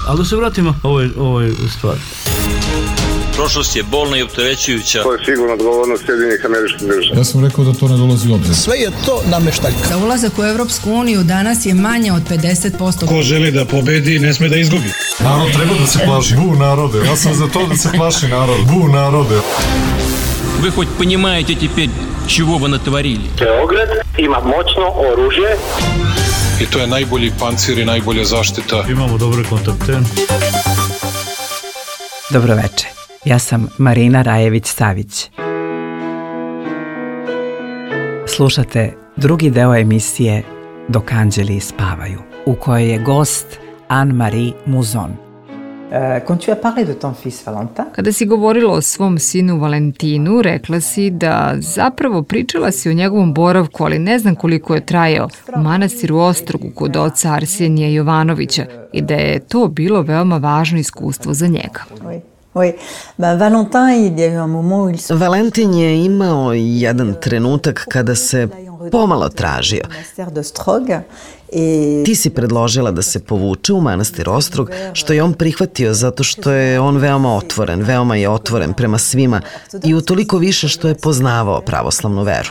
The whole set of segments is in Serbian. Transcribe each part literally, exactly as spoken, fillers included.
Ali da se vratimo ovoj, ovoj stvari. Prošlost je bolna i opterećujuća. To je sigurno odgovornost Sjedinjenih Američkih Država. Ja sam rekao da to ne dolazi u obzir. Sve je to nameštaljka. Za ulazak u Evropsku uniju danas je manje od pedeset posto. Ko želi da pobedi, ne sme da izgubi. Narod treba da se plaši. Bu narode. Ja sam za to da se plaši narod. Bu narode. Вы хоть понимаете теперь, чего вы натворили? Beograd ima moćno oružje. I to je najbolji pancir i najbolja zaštita. Imamo dobre kontakte. Dobro veče. Ja sam Marina Rajević-Savić. Slušate drugi deo emisije Dok anđeli spavaju, u kojoj je gost Anne-Marie Mouzon. Kada si govorila o svom sinu Valentinu, rekla si da zapravo pričala si o njegovom boravku, ali ne znam koliko je trajao, u manastiru Ostrogu kod oca Arsenija Jovanovića i da je to bilo veoma važno iskustvo za njega. Valentin je imao jedan trenutak kada se pomalo tražio. Ti si predložila da se povuče u manastir Ostrog, što je on prihvatio zato što je on veoma otvoren, veoma je otvoren prema svima i utoliko više što je poznavao pravoslavnu veru.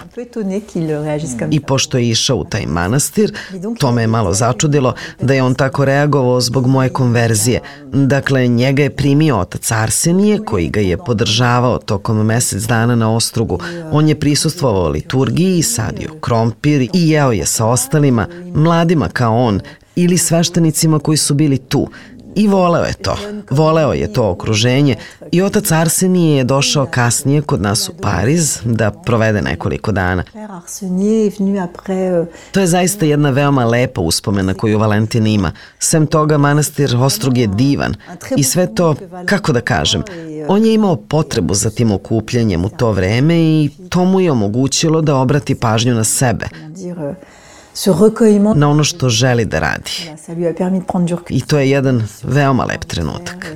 I pošto je išao u taj manastir, to me je malo začudilo da je on tako reagovao zbog moje konverzije. Dakle, njega je primio otac Arsenije, koji ga je podržavao tokom mesec dana na Ostrogu. On je prisustvovao liturgiji, sadio krompir i jeo je sa ostalima, mladima kao on ili sveštenicima koji su bili tu. I voleo je to. Voleo je to okruženje i otac Arsenije je došao kasnije kod nas u Pariz da provede nekoliko dana. To je zaista jedna veoma lepa uspomena koju Valentin ima. Sem toga, manastir Ostrog je divan i sve to, kako da kažem, on je imao potrebu za tim okupljanjem u to vreme i to mu je omogućilo da obrati pažnju na sebe, na ono što želi da radi. I to je jedan veoma lep trenutak.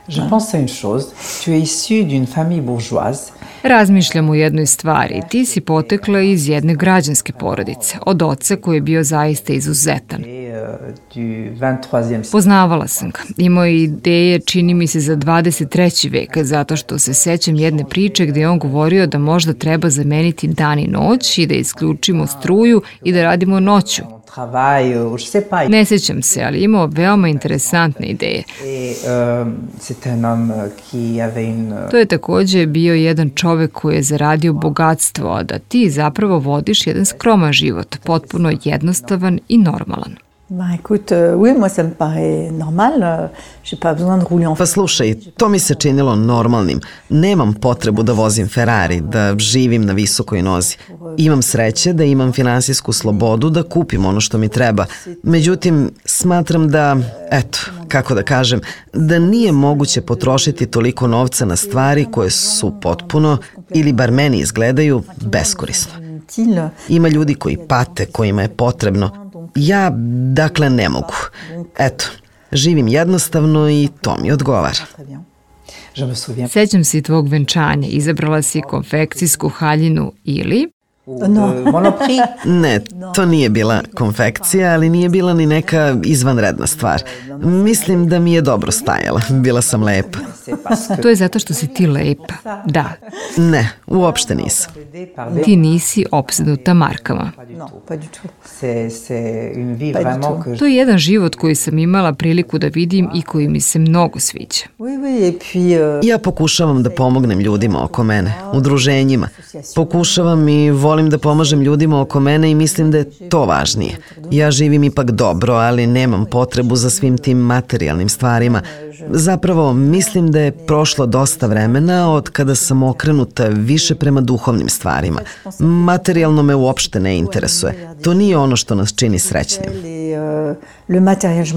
Je pense à une chose, tu es issu d'une famille bourgeoise. Razmišljam o jednoj stvari. Ti si potekla iz jedne građanske porodice, od oca koji je bio zaista izuzetan. Poznavala sam ga. Imao je ideje, čini mi se, za dvadeset treći vek, zato što se sećam jedne priče gde je on govorio da možda treba zameniti dan i noć i da isključimo struju i da radimo noću. Ne sjećam se, ali imao veoma interesantne ideje. To je također bio jedan čovek koji je zaradio bogatstvo, a da ti zapravo vodiš jedan skroman život, potpuno jednostavan i normalan. Pa slušaj, to mi se činilo normalnim. Nemam potrebu da vozim Ferrari, da živim na visokoj nozi. Imam sreće da imam finansijsku slobodu da kupim ono što mi treba. Međutim, smatram da, eto, kako da kažem, da nije moguće potrošiti toliko novca na stvari koje su potpuno, ili bar meni izgledaju, beskorisno. Ima ljudi koji pate, kojima je potrebno. Ja, dakle, ne mogu. Eto, živim jednostavno i to mi odgovara. Sećam se i tvog venčanja. Izabrala si konfekcijsku haljinu ili... Ne, to nije bila konfekcija, ali nije bila ni neka izvanredna stvar. Mislim da mi je dobro stajala. Bila sam lepa. To je zato što si ti lepa. Da. Ne, uopšte nisam. Ti nisi opsednuta markama. To je jedan život koji sam imala priliku da vidim i koji mi se mnogo sviđa. Ja pokušavam da pomognem ljudima oko mene, udruženjima. Pokušavam i volim da pomažem ljudima oko mene i mislim da je to važnije. Ja živim ipak dobro, ali nemam potrebu za svim tim materijalnim stvarima. Zapravo, mislim da je prošlo dosta vremena od kada sam okrenuta više prema duhovnim stvarima. Materijalno me uopšte ne interesuje. To nije ono što nas čini srećnim.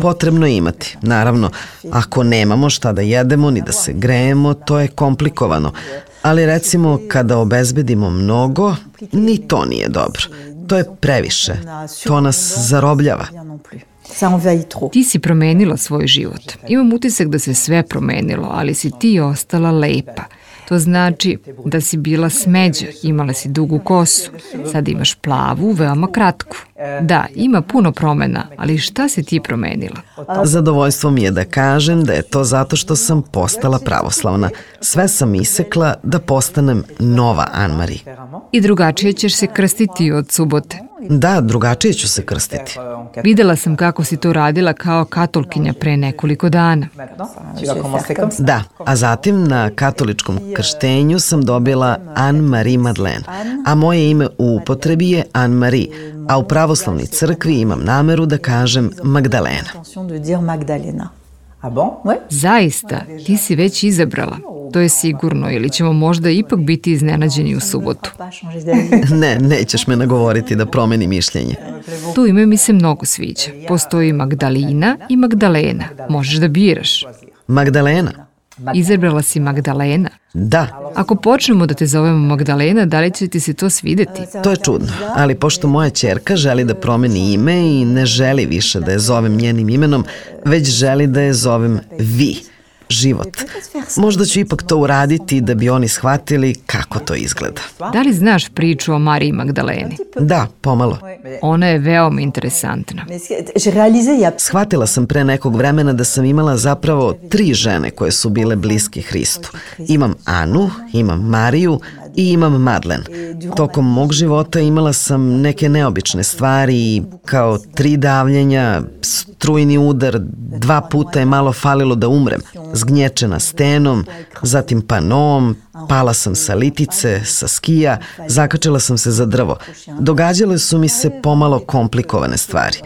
Potrebno je imati, naravno. Ako nemamo šta da jedemo ni da se grejemo, to je komplikovano. Ali recimo, kada obezbedimo mnogo, ni to nije dobro. To je previše. To nas zarobljava. Ti si promenila svoj život. Imam utisak da se sve promenilo, ali si ti ostala lepa. To znači da si bila smeđa, imala si dugu kosu. Sada imaš plavu, veoma kratku. Da, ima puno promena, ali šta si ti promenila? Zadovoljstvo mi je da kažem da je to zato što sam postala pravoslavna. Sve sam isekla da postanem nova Anne-Marie. I drugačije ćeš se krstiti od subote. Da, drugačije ću se krstiti. Videla sam kako si to radila kao katolkinja pre nekoliko dana. Da, a zatim na katoličkom krštenju sam dobila Anne-Marie Madeleine, a moje ime u upotrebi je Anne-Marie, a u pravoslavnoj crkvi imam nameru da kažem Magdalena. Zaista, ti si već izabrala. To je sigurno, ili ćemo možda ipak biti iznenađeni u subotu. Ne, nećeš me nagovoriti da promeni mišljenje. Tu ime mi se mnogo sviđa. Postoji Magdalina i Magdalena. Možeš da biraš. Magdalena? Izabrala si Magdalena? Da. Ako počnemo da te zovemo Magdalena, da li će ti se to svideti? To je čudno, ali pošto moja ćerka želi da promeni ime i ne želi više da je zovem njenim imenom, već želi da je zovem Vi. Život. Možda ću ipak to uraditi da bi oni shvatili kako to izgleda. Da li znaš priču o Mariji Magdaleni? Da, pomalo. Ona je veoma interesantna. Shvatila sam pre nekog vremena da sam imala zapravo tri žene koje su bile bliske Hristu. Imam Anu, imam Mariju i imam Madeleine. Tokom mog života imala sam neke neobične stvari, kao tri davljenja, strujni udar, dva puta je malo falilo da umrem, zgnječena stenom, zatim panom, pala sam sa litice, sa skija, zakačila sam se za drvo. Događale su mi se pomalo komplikovane stvari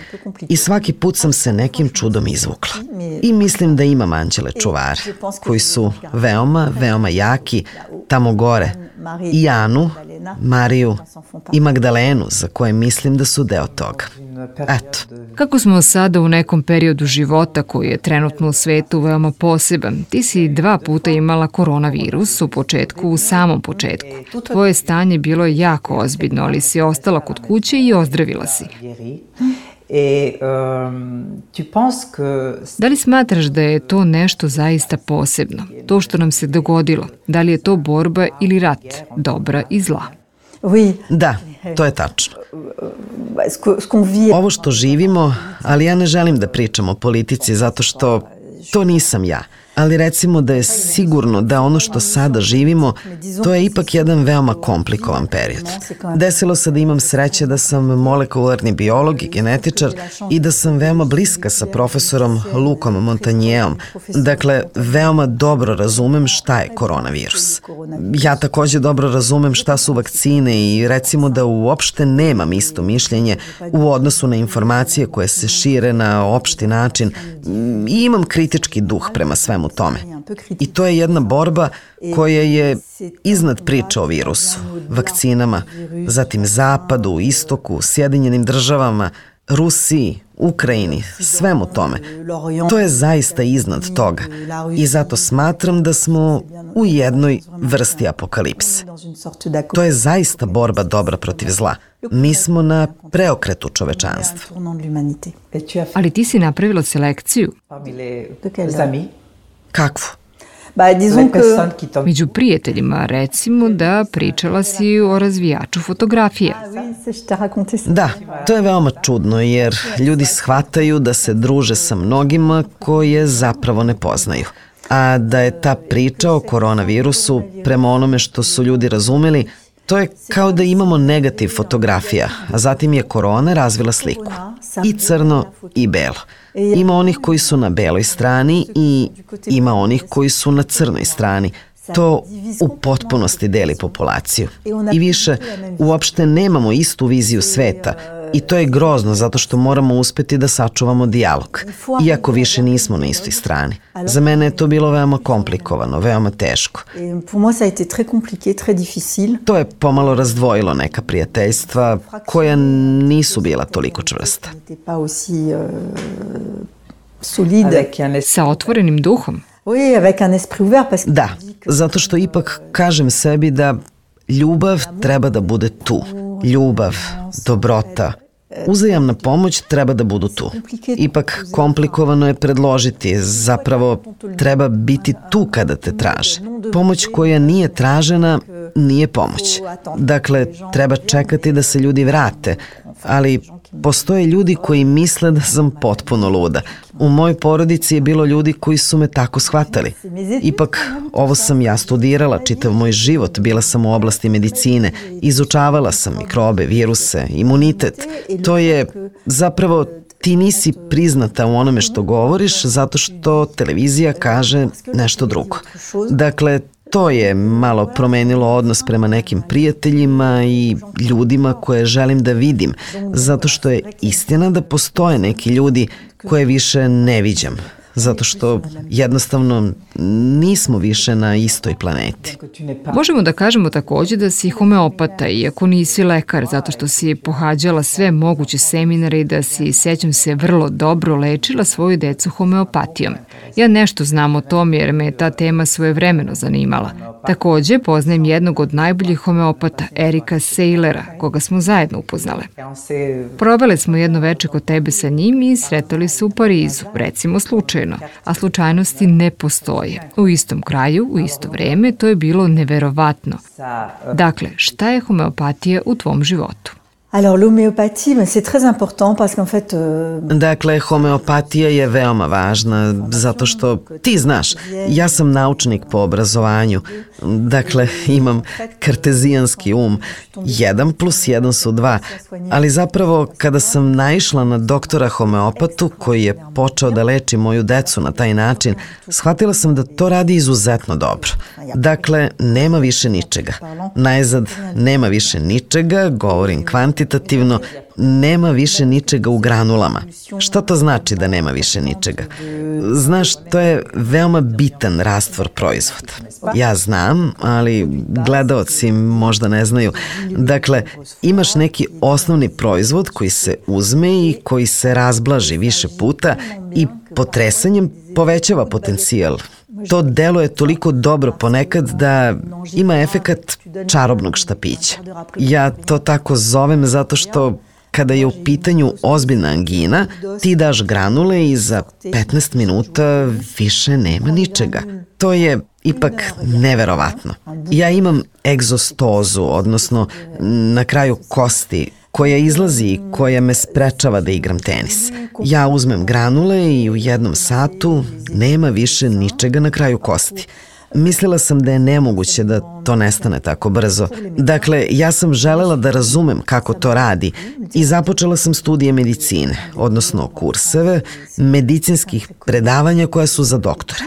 i svaki put sam se nekim čudom izvukla. I mislim da imam anđele čuvare, koji su veoma, veoma jaki tamo gore. I Anu, Mariju i Magdalenu, za koje mislim da su deo toga. Eto. Kako smo sada u nekom periodu života koji je trenutno u svetu veoma poseban, ti si dva puta imala koronavirus u početku, u samom početku. Tvoje stanje bilo je jako ozbiljno, ali si ostala kod kuće i ozdravila si. Da li smatraš da je to nešto zaista posebno? To što nam se dogodilo, da li je to borba ili rat, dobra i zla? Da, to je tačno. Ovo što živimo, ali ja ne želim da pričam o politici zato što to nisam ja. Ali recimo da je sigurno da ono što sada živimo, to je ipak jedan veoma komplikovan period. Desilo se da imam sreće da sam molekularni biolog i genetičar i da sam veoma bliska sa profesorom Lukom Montanjeom. Dakle, veoma dobro razumem šta je koronavirus. Ja takođe dobro razumem šta su vakcine i recimo da uopšte nemam isto mišljenje u odnosu na informacije koje se šire na opšti način i imam kritički duh prema svemu tome. I to je jedna borba koja je iznad priče o virusu, vakcinama, zatim Zapadu, Istoku, Sjedinjenim državama, Rusiji, Ukrajini, svemu tome. To je zaista iznad toga i zato smatram da smo u jednoj vrsti apokalipse. To je zaista borba dobra protiv zla. Mi smo na preokretu čovečanstva. Ali ti si napravila selekciju. Kakvu? Među prijateljima, recimo da pričala si o razvijaču fotografije. Da, to je veoma čudno jer ljudi shvataju da se druže sa mnogima koje zapravo ne poznaju. A da je ta priča o koronavirusu, prema onome što su ljudi razumeli, to je kao da imamo negativ fotografija, a zatim je korona razvila sliku. I crno i belo. Ima onih koji su na beloj strani i ima onih koji su na crnoj strani. To u potpunosti deli populaciju. I više, uopšte nemamo istu viziju sveta. I to je grozno zato što moramo uspeti da sačuvamo dijalog. Iako više nismo na istoj strani. Za mene je to bilo veoma komplikovano, veoma teško. To je pomalo razdvojilo neka prijateljstva koja nisu bila toliko čvrsta. Sa otvorenim duhom? Da, zato što ipak kažem sebi da ljubav treba da bude tu. Ljubav, dobrota, uzajamna pomoć treba da budu tu. Ipak komplikovano je predložiti, zapravo treba biti tu kada te traže. Pomoć koja nije tražena nije pomoć. Dakle, treba čekati da se ljudi vrate, ali postoje ljudi koji misle da sam potpuno luda. U mojoj porodici je bilo ljudi koji su me tako shvatali. Ipak, ovo sam ja studirala čitav moj život, bila sam u oblasti medicine, izučavala sam mikrobe, viruse, imunitet. To je zapravo, ti nisi priznata u onome što govoriš zato što televizija kaže nešto drugo. Dakle, to je malo promenilo odnos prema nekim prijateljima i ljudima koje želim da vidim, zato što je istina da postoje neki ljudi koje više ne viđam, zato što jednostavno nismo više na istoj planeti. Možemo da kažemo takođe da si homeopata, iako nisi lekar, zato što si pohađala sve moguće seminare i da si, sećam se, vrlo dobro lečila svoju decu homeopatijom. Ja nešto znam o tom jer me ta tema svojevremeno zanimala. Takođe, poznajem jednog od najboljih homeopata, Erika Seilera, koga smo zajedno upoznale. Provele smo jedno veče kod tebe sa njim i sretali se u Parizu, recimo slučajno, a slučajnosti ne postoje. U istom kraju, u isto vreme, to je bilo neverovatno. Dakle, šta je homeopatija u tvom životu? Alors l'homéopathie, c'est très important parce qu'en fait... Euh... Dakle, homeopatija je veoma važna zato što, ti znaš, ja sam naučnik po obrazovanju. Dakle, imam kartezijanski um. Jedan plus jedan su dva. Ali zapravo, kada sam naišla na doktora homeopatu koji je počeo da leči moju decu na taj način, shvatila sam da to radi izuzetno dobro. Dakle, nema više ničega. Najzad, nema više ničega, govorim kvantitativno, nema više ničega u granulama. Šta to znači da nema više ničega? Znaš, to je veoma bitan rastvor proizvoda. Ja znam, ali gledaoci možda ne znaju. Dakle, imaš neki osnovni proizvod koji se uzme i koji se razblaži više puta i potresanjem povećava potencijal. To deluje toliko dobro ponekad da ima efekat čarobnog štapića. Ja to tako zovem zato što kada je u pitanju ozbiljna angina, ti daš granule i za petnaest minuta više nema ničega. To je ipak neverovatno. Ja imam egzostozu, odnosno na kraju kosti, koja izlazi i koja me sprečava da igram tenis. Ja uzmem granule i u jednom satu nema više ničega na kraju kosti. Mislila sam da je nemoguće da to nestane tako brzo. Dakle, ja sam želela da razumem kako to radi i započela sam studije medicine, odnosno kurseve medicinskih predavanja koja su za doktore.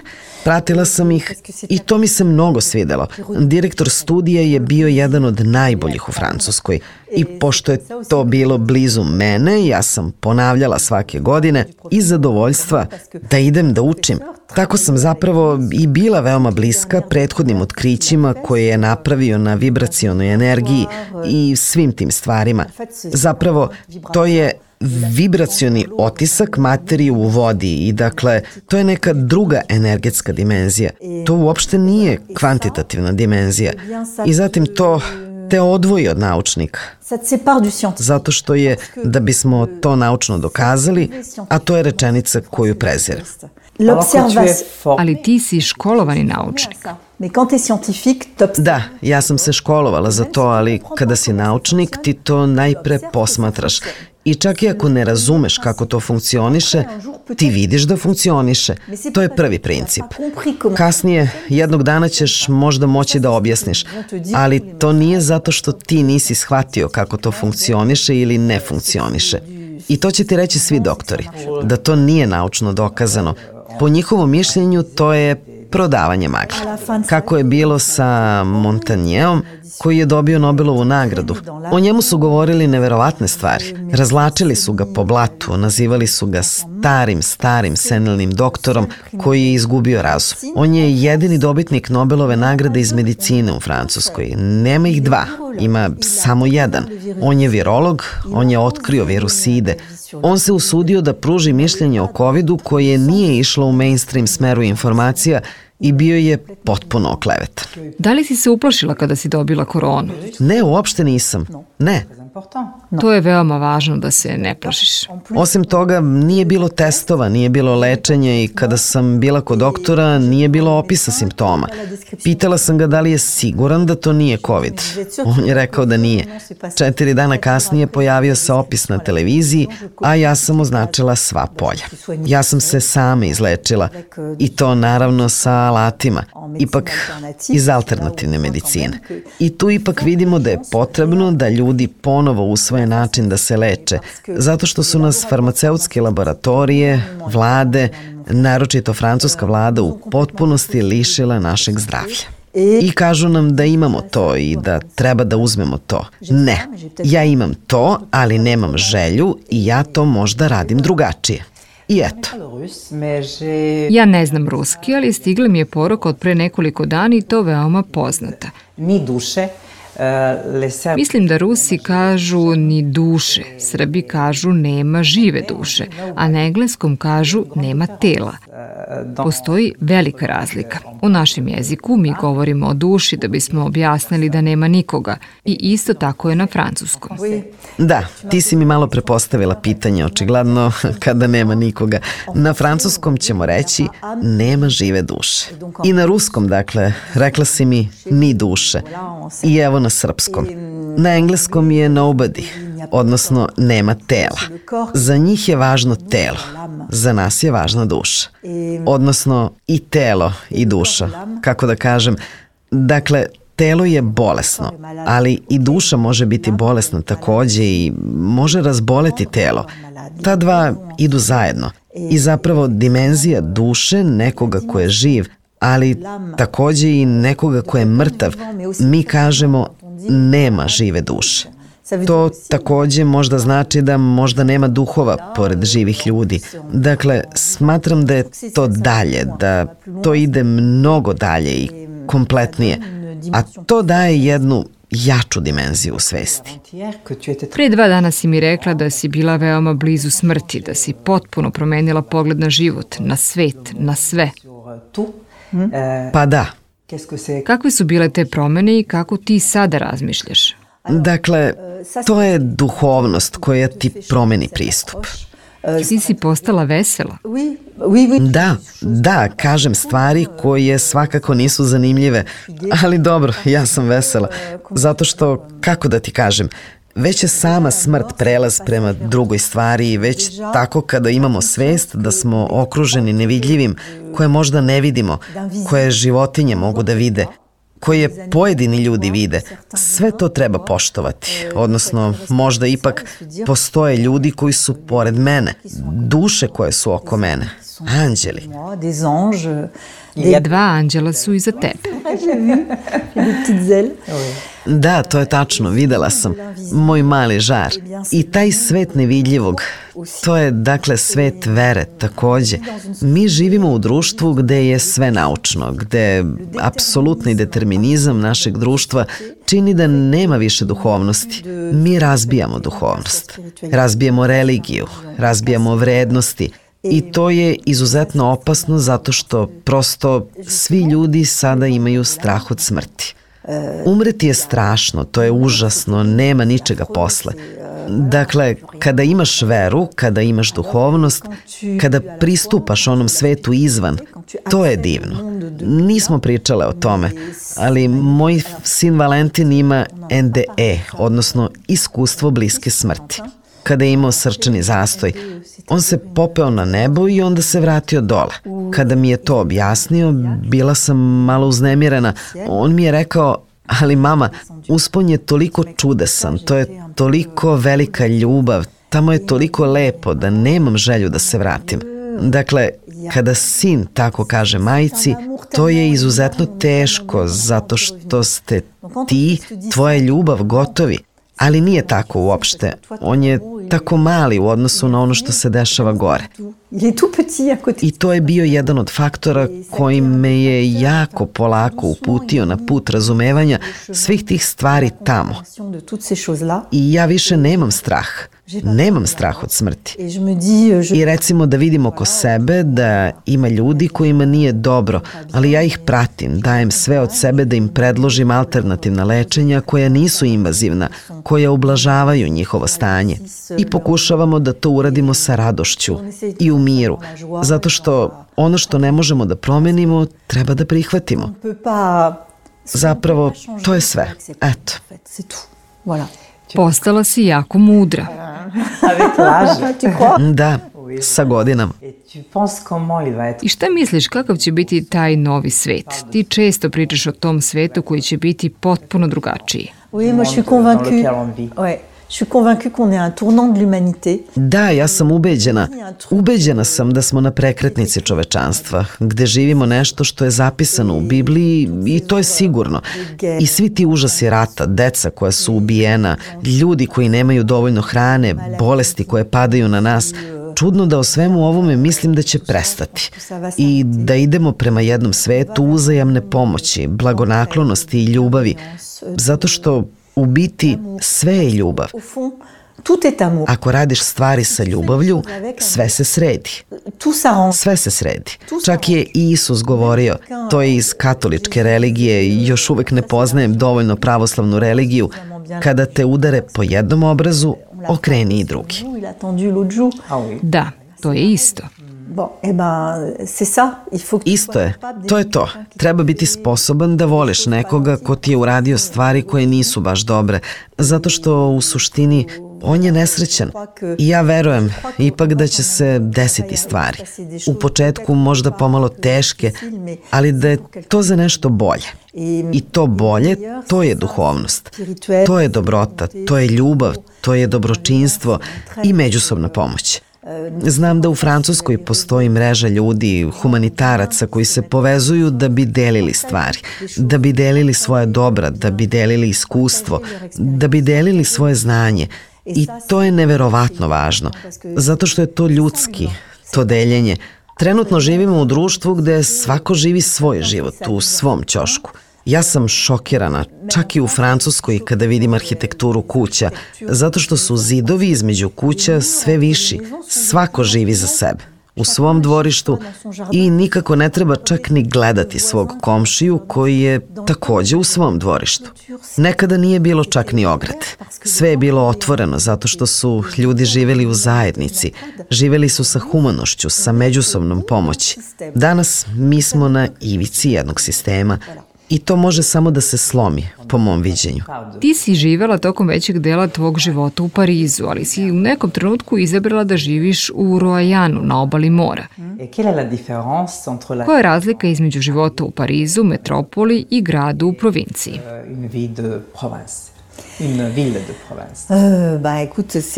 Pratila sam ih i to mi se mnogo svidelo. Direktor studija je bio jedan od najboljih u Francuskoj i pošto je to bilo blizu mene, ja sam ponavljala svake godine iz zadovoljstva da idem da učim. Tako sam zapravo i bila veoma bliska prethodnim otkrićima koje je napravio na vibracionoj energiji i svim tim stvarima. Zapravo, to je vibracioni otisak materije u vodi i dakle, to je neka druga energetska dimenzija. To uopšte nije kvantitativna dimenzija. I zatim to te odvoji od naučnika. Zato što je, da bismo to naučno dokazali, a to je rečenica koju prezirem. Ali ti si školovani naučnik. Da, ja sam se školovala za to, ali kada si naučnik, ti to najpre posmatraš. I čak i ako ne razumeš kako to funkcioniše, ti vidiš da funkcioniše. To je prvi princip. Kasnije, jednog dana ćeš možda moći da objasniš, ali to nije zato što ti nisi shvatio kako to funkcioniše ili ne funkcioniše. I to će ti reći svi doktori, da to nije naučno dokazano. Po njihovom mišljenju to je prodavanje magle. Kako je bilo sa Montanjeom, koji je dobio Nobelovu nagradu. O njemu su govorili neverovatne stvari. Razlačili su ga po blatu, nazivali su ga starim, starim senilnim doktorom koji je izgubio razum. On je jedini dobitnik Nobelove nagrade iz medicine u Francuskoj. Nema ih dva, ima samo jedan. On je virolog, on je otkrio viruside. On se usudio da pruži mišljenje o covidu koje nije išlo u mainstream smeru informacija i bio je potpuno oklevetan. Da li si se uplašila kada si dobila koronu? Ne, uopšte nisam. Ne. To je veoma važno da se ne plašiš. Osim toga, nije bilo testova, nije bilo lečenja i kada sam bila kod doktora, nije bilo opisa simptoma. Pitala sam ga da li je siguran da to nije COVID. On je rekao da nije. Četiri dana kasnije pojavio se opis na televiziji, a ja sam označila sva polja. Ja sam se sama izlečila i to naravno sa alatima, ipak iz alternativne medicine. I tu ipak vidimo da je potrebno da ljudi ponovo usvoje način da se leče, zato što su nas farmaceutske laboratorije, vlade, naročito francuska vlada u potpunosti lišila našeg zdravlja. I kažu nam da imamo to i da treba da uzmemo to. Ne, ja imam to, ali nemam želju i ja to možda radim drugačije. I eto. Ja ne znam ruski, ali stigla mi je poruka od pre nekoliko dana i to veoma poznata. Ni duše. Mislim da Rusi kažu ni duše, Srbi kažu nema žive duše, a na engleskom kažu nema tela. Postoji velika razlika. U našem jeziku mi govorimo o duši da bismo objasnili da nema nikoga i isto tako je na francuskom. Da, ti si mi malo prepostavila pitanje, očigledno kada nema nikoga. Na francuskom ćemo reći nema žive duše. I na ruskom, dakle, rekla si mi ni duše. I evo na srpskom. Na engleskom je nobody, odnosno nema tela. Za njih je važno telo, za nas je važna duša. Odnosno i telo i duša, kako da kažem. Dakle, telo je bolesno, ali i duša može biti bolesna takođe i može razboleti telo. Ta dva idu zajedno i zapravo dimenzija duše nekoga ko je živ, ali takođe i nekoga ko je mrtav, mi kažemo nema žive duše. To takođe možda znači da možda nema duhova pored živih ljudi. Dakle, smatram da je to dalje, da to ide mnogo dalje i kompletnije, a to daje jednu jaču dimenziju u svesti. Pre dva dana si mi rekla da si bila veoma blizu smrti, da si potpuno promenila pogled na život, na svet, na sve. Pa da. Kakve su bile te promene i kako ti sada razmišljaš? Dakle, to je duhovnost koja ti promeni pristup. Ti si postala vesela? Da, da, kažem stvari koje svakako nisu zanimljive, ali dobro, ja sam vesela, zato što, kako da ti kažem, već je sama smrt prelaz prema drugoj stvari i već tako kada imamo svest da smo okruženi nevidljivim, koje možda ne vidimo, koje životinje mogu da vide, koje pojedini ljudi vide, sve to treba poštovati, odnosno možda ipak postoje ljudi koji su pored mene, duše koje su oko mene, anđeli. Dva anđela su iza tebe. Da, to je tačno, videla sam. Moj mali žar. I taj svet nevidljivog, to je dakle svet vere takođe. Mi živimo u društvu gde je sve naučno, gde apsolutni determinizam našeg društva čini da nema više duhovnosti. Mi razbijamo duhovnost, razbijamo religiju, razbijamo vrednosti. I to je izuzetno opasno zato što prosto svi ljudi sada imaju strah od smrti. Umreti je strašno, to je užasno, nema ničega posle. Dakle, kada imaš veru, kada imaš duhovnost, kada pristupaš onom svetu izvan, to je divno. Nismo pričale o tome, ali moj sin Valentin ima en de e, odnosno iskustvo bliske smrti. Kada je imao srčani zastoj, on se popeo na nebo i onda se vratio dole. Kada mi je to objasnio, bila sam malo uznemirena. On mi je rekao, ali mama, uspon je toliko čudesan, to je toliko velika ljubav, tamo je toliko lepo da nemam želju da se vratim. Dakle, kada sin tako kaže majci, to je izuzetno teško zato što ste ti, tvoja ljubav gotovi. Ali nije tako uopšte. On je tako mali u odnosu na ono što se dešava gore. I to je bio jedan od faktora koji me je jako polako uputio na put razumevanja svih tih stvari tamo. I ja više nemam strah. Nemam strah od smrti. I recimo da vidim oko sebe da ima ljudi kojima nije dobro, ali ja ih pratim, dajem sve od sebe da im predložim alternativna lečenja koja nisu invazivna, koja ublažavaju njihovo stanje. I pokušavamo da to uradimo sa radošću i u miru, zato što ono što ne možemo da promenimo, treba da prihvatimo. Zapravo, to je sve. Eto. Postala si jako mudra. Da, sa godinama. I šta misliš, kakav će biti taj novi svet? Ti često pričaš o tom svetu koji će biti potpuno drugačiji. Oui, moi je suis convaincue. Ouais. Je suis convaincue qu'on est un tournant de l'humanité. Da, ja sam ubeđena. Ubeđena sam da smo na prekretnici čovečanstva, gde živimo nešto što je zapisano u Bibliji i to je sigurno. I svi ti užasi rata, deca koja su ubijena, ljudi koji nemaju dovoljno hrane, bolesti koje padaju na nas, čudno da o svemu ovome mislim da će prestati i da idemo prema jednom svetu uzajamne pomoći, blagonaklonosti i ljubavi, zato što u biti sve je ljubav. Ako radiš stvari sa ljubavlju, sve se sredi. Sve se sredi. Čak je i Isus govorio, to je iz katoličke religije, još uvek ne poznajem dovoljno pravoslavnu religiju, kada te udare po jednom obrazu, okreni i drugi. Da, to je isto. Isto je, to je to. Treba biti sposoban da voliš nekoga ko ti je uradio stvari koje nisu baš dobre, zato što u suštini on je nesrećan. I ja verujem ipak da će se desiti stvari. U početku možda pomalo teške, ali da je to za nešto bolje. I to bolje, to je duhovnost. To je dobrota, to je ljubav, to je dobročinstvo i međusobna pomoć. Znam da u Francuskoj postoji mreža ljudi, humanitaraca koji se povezuju da bi delili stvari, da bi delili svoje dobra, da bi delili iskustvo, da bi delili svoje znanje. I to je neverovatno važno, zato što je to ljudski, to deljenje. Trenutno živimo u društvu gde svako živi svoj život u svom ćošku. Ja sam šokirana, čak i u Francuskoj kada vidim arhitekturu kuća, zato što su zidovi između kuća sve viši. Svako živi za sebe, u svom dvorištu i nikako ne treba čak ni gledati svog komšiju koji je takođe u svom dvorištu. Nekada nije bilo čak ni ograde. Sve je bilo otvoreno zato što su ljudi živeli u zajednici, živeli su sa humanošću, sa međusobnom pomoći. Danas mi smo na ivici jednog sistema i to može samo da se slomi, po mom viđenju. Ti si živela tokom većeg dela tvog života u Parizu, ali si u nekom trenutku izabrala da živiš u Roajanu, na obali mora. Koja je razlika između života u Parizu, metropoli i gradu u provinciji?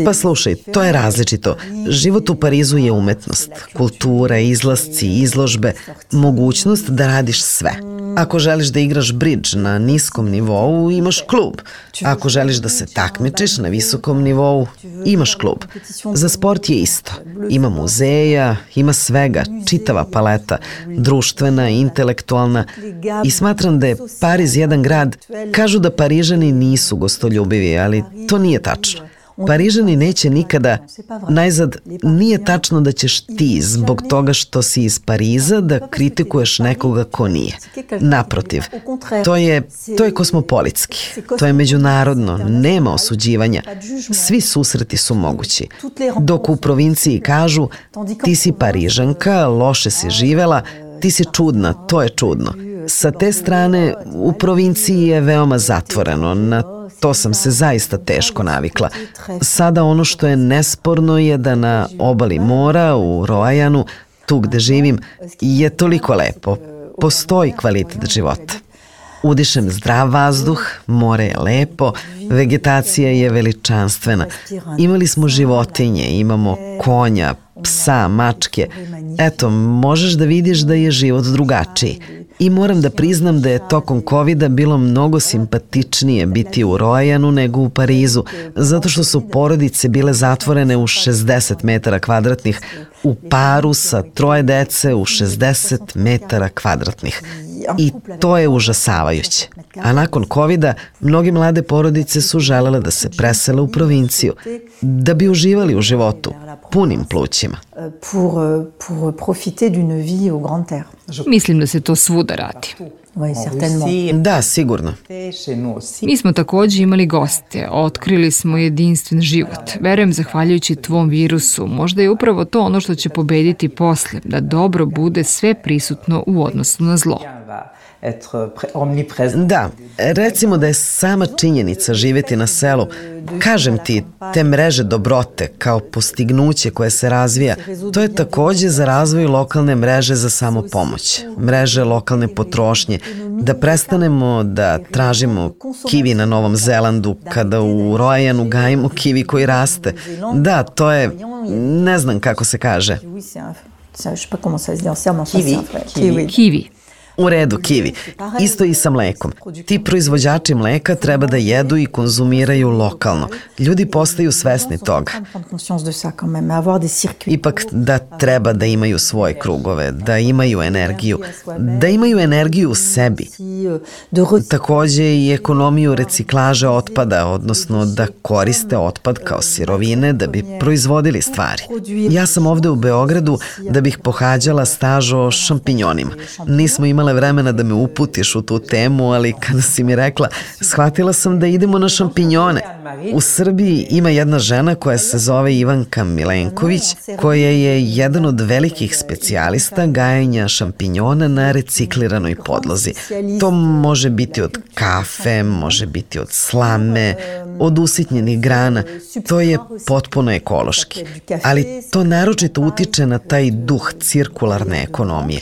Pa slušaj, to je različito. Život u Parizu je umetnost, kultura, izlasci, izložbe, mogućnost da radiš sve. Ako želiš da igraš bridž na niskom nivou, imaš klub. Ako želiš da se takmičiš na visokom nivou, imaš klub. Za sport je isto. Ima muzeja, ima svega, čitava paleta, društvena, intelektualna. I smatram da je Pariz jedan grad, kažu da Parižani nisu gostoljubivi, ali to nije tačno. Parižani neće nikada, najzad, nije tačno da ćeš ti zbog toga što si iz Pariza da kritikuješ nekoga ko nije. Naprotiv, to je, to je kosmopolitski, to je međunarodno, nema osuđivanja, svi susreti su mogući. Dok u provinciji kažu, ti si Parižanka, loše si živela, ti si čudna, to je čudno. Sa te strane, u provinciji je veoma zatvoreno, na to sam se zaista teško navikla. Sada ono što je nesporno je da na obali mora, u Roajanu, tu gde živim, je toliko lepo. Postoji kvalitet života. Udišem zdrav vazduh, more je lepo, vegetacija je veličanstvena. Imali smo životinje, imamo konja, psa, mačke. Eto, možeš da vidiš da je život drugačiji. I moram da priznam da je tokom kovida bilo mnogo simpatičnije biti u Roajanu nego u Parizu, zato što su porodice bile zatvorene u šezdeset metara kvadratnih, u paru sa troje dece u šezdeset metara kvadratnih. I to je užasavajuće. A nakon kovida, mnoge mlade porodice su želele da se presele u provinciju, da bi uživali u životu, punim plućima. Mislim da se to svuda radi. Da, sigurno. Mi smo takođe imali goste, otkrili smo jedinstven život. Verujem, zahvaljujući tvom virusu, možda je upravo to ono što će pobediti posle, da dobro bude sve prisutno u odnosu na zlo. Da, recimo da je sama činjenica živjeti na selu, kažem ti, te mreže dobrote kao postignuće koje se razvija, to je takođe za razvoj lokalne mreže za samopomoć, mreže lokalne potrošnje, da prestanemo da tražimo kivi na Novom Zelandu kada u Rojanu gajimo kivi koji raste. Da, to je, ne znam kako se kaže. Kivi. Kivi. U redu, kivi. Isto i sa mlekom. Ti proizvođači mleka treba da jedu i konzumiraju lokalno. Ljudi postaju svesni toga. Ipak da treba da imaju svoje krugove, da imaju energiju, da imaju energiju u sebi. Takođe i ekonomiju reciklaže otpada, odnosno da koriste otpad kao sirovine da bi proizvodili stvari. Ja sam ovde u Beogradu da bih pohađala staž o šampinjonima. Nismo imale vremena da me uputiš u tu temu, ali kada si mi rekla, shvatila sam da idemo na šampinjone. U Srbiji ima jedna žena koja se zove Ivanka Milenković, koja je jedan od velikih specijalista gajenja šampinjona na recikliranoj podlozi. To može biti od kafe, može biti od slame, od usitnjenih grana. To je potpuno ekološki. Ali to naročito utiče na taj duh cirkularne ekonomije.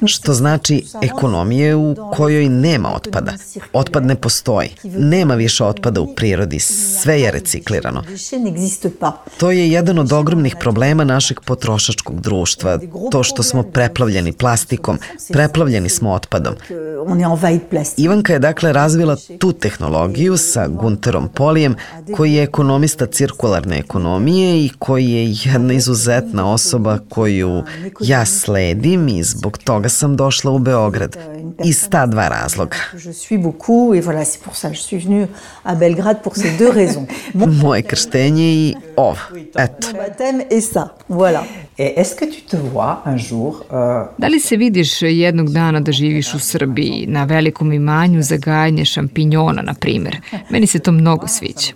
Što znači ekonomije u kojoj nema otpada. Otpad ne postoji. Nema više otpada u prirodi. Sve je reciklirano. To je jedan od ogromnih problema našeg potrošačkog društva. To što smo preplavljeni plastikom, preplavljeni smo otpadom. Ivanka je dakle razvila tu tehnologiju sa Gunterom Polijem, koji je ekonomista cirkularne ekonomije i koji je jedna izuzetna osoba koju ja sledim i zbog toga sam došla u Beograd. Iz ta dva razloga. Moje krštenje i ovo. Eto. Da li se vidiš jednog dana da živiš u Srbiji, na velikom imanju za gajanje šampinjona, na primjer? Meni se to mnogo sviđa.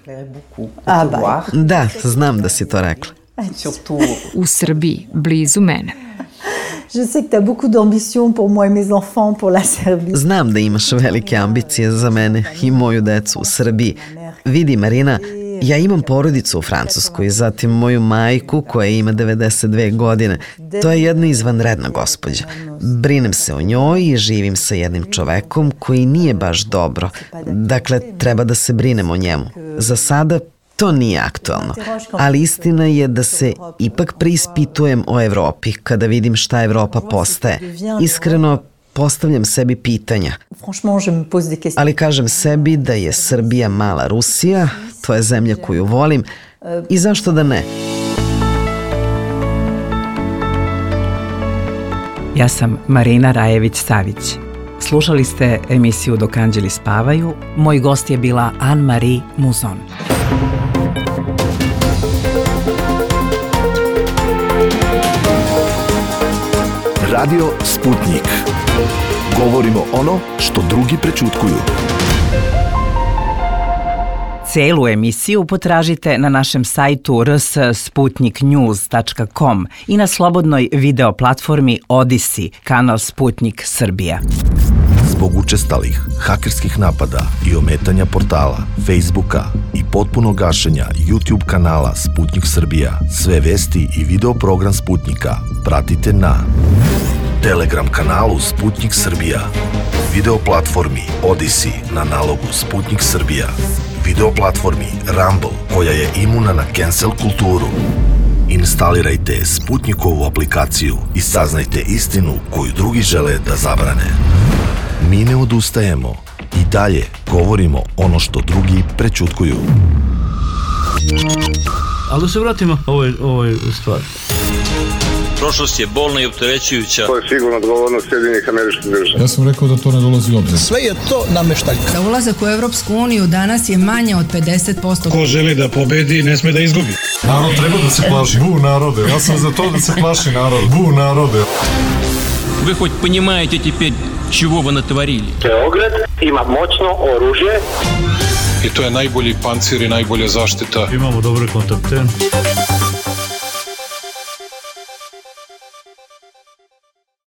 Da, znam da si to rekla. U Srbiji, blizu mene. Znam da imaš velike ambicije za mene i moju decu u Srbiji. Vidi, Marina, ja imam porodicu u Francuskoj, zatim moju majku koja ima devedeset dve godine. To je jedna izvanredna gospođa. Brinem se o njoj i živim sa jednim čovekom koji nije baš dobro. Dakle, treba da se brinem o njemu. Za sada to nije aktualno, ali istina je da se ipak preispitujem o Evropi kada vidim šta Evropa postaje. Iskreno, postavljam sebi pitanja, ali kažem sebi da je Srbija mala Rusija, to je zemlja koju volim i zašto da ne? Ja sam Marina Rajević-Savić. Slušali ste emisiju Dok anđeli spavaju. Moj gost je bila Anne-Marie Mouzon. Radio Sputnik. Govorimo ono što drugi prećutkuju. Celu emisiju potražite na našem sajtu r s sputnik news tačka com i na slobodnoj video platformi Odisi, kanal Sputnik Srbija. Zbog učestalih hakerskih napada i ometanja portala, Facebooka i potpuno gašenja YouTube kanala Sputnik Srbija, sve vesti i video program Sputnika pratite na Telegram kanalu Sputnik Srbija, video platformi Odisi na nalogu Sputnik Srbija, video platformi Rumble koja je imuna na cancel kulturu. Instalirajte Sputnikovu aplikaciju i saznajte istinu koju drugi žele da zabrane. Mi ne odustajemo i dalje govorimo ono što drugi prećutkuju. Ali da se vratimo ovoj, ovoj stvari. prošlost je bolna i opterećujuća. To je sigurno odgovornost Sjedinjenih Američkih Država. Ja sam rekao da to ne dolazi u obzir. Sve je to nameštaljka. Za ulazak u Evropsku uniju danas je manje od pedeset posto. Ko želi da pobedi, ne sme da izgubi. Narod treba da se plaši. Bu narode. Ja sam za to da se plaši narod. Bu narode. Вы хоть понимаете теперь, чего вы натворили? Beograd ima moćno oružje. I to je najbolji pancir i najbolja zaštita. Imamo dobre kontakte.